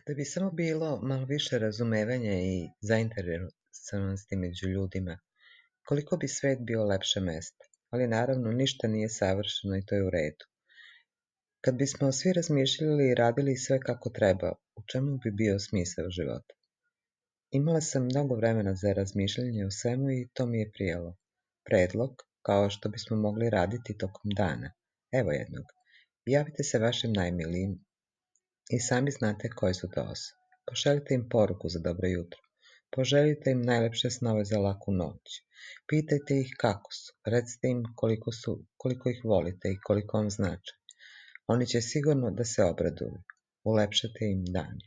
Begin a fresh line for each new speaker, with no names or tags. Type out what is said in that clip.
Da bi samo bilo malo više razumevanja i zainteresovanosti među ljudima, koliko bi svet bio lepše mesto. Ali naravno, ništa nije savršeno i to je u redu. Kad bismo svi razmišljali i radili sve kako treba, u čemu bi bio smisao života? Imala sam mnogo vremena za razmišljanje o svemu i to mi je prijelo. Predlog, kao što bismo mogli raditi tokom dana. Evo jednog. Javite se vašim najmilijim i sami znate koje su to osobe. Pošaljite im poruku za dobro jutro. Poželite im najlepše snove za laku noć. Pitajte ih kako su. Recite im koliko ih volite i koliko vam znači. Oni će sigurno da se obraduju. Ulepšate im dan.